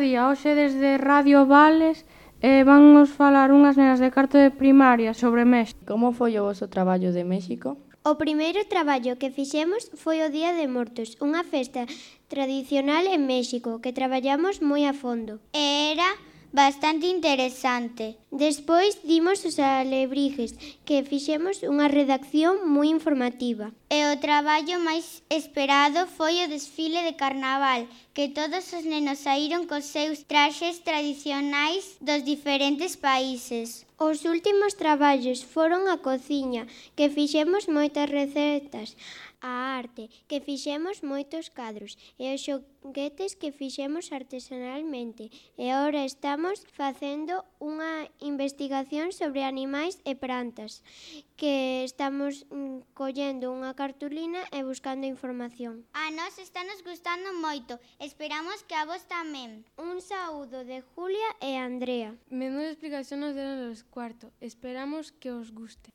día, hoxe desde Radio Vales vannos falar unhas nenas de cuarto de primaria sobre México. Como foi o voso traballo de México? O primeiro traballo que fixemos foi o Día de Mortos, unha festa tradicional en México que traballamos moi a fondo. Era bastante interesante. Despois dimos os alebrijes, que fixemos unha redacción moi informativa. E o traballo máis esperado foi o desfile de carnaval, que todos os nenos saíron cos seus traxes tradicionais dos diferentes países. Os últimos traballos foron a cociña, que fixemos moitas recetas, a arte, que fixemos moitos cadros, e os xoguetes que fixemos artesanalmente. E agora estamos facendo unha investigación sobre animais e plantas, que estamos collendo unha cartulina e buscando información. A nós estános gustando moito, esperamos que a vos tamén. Un saúdo de Julia e Andrea. Menuda explicación nos deron los cuarto, esperamos que os guste.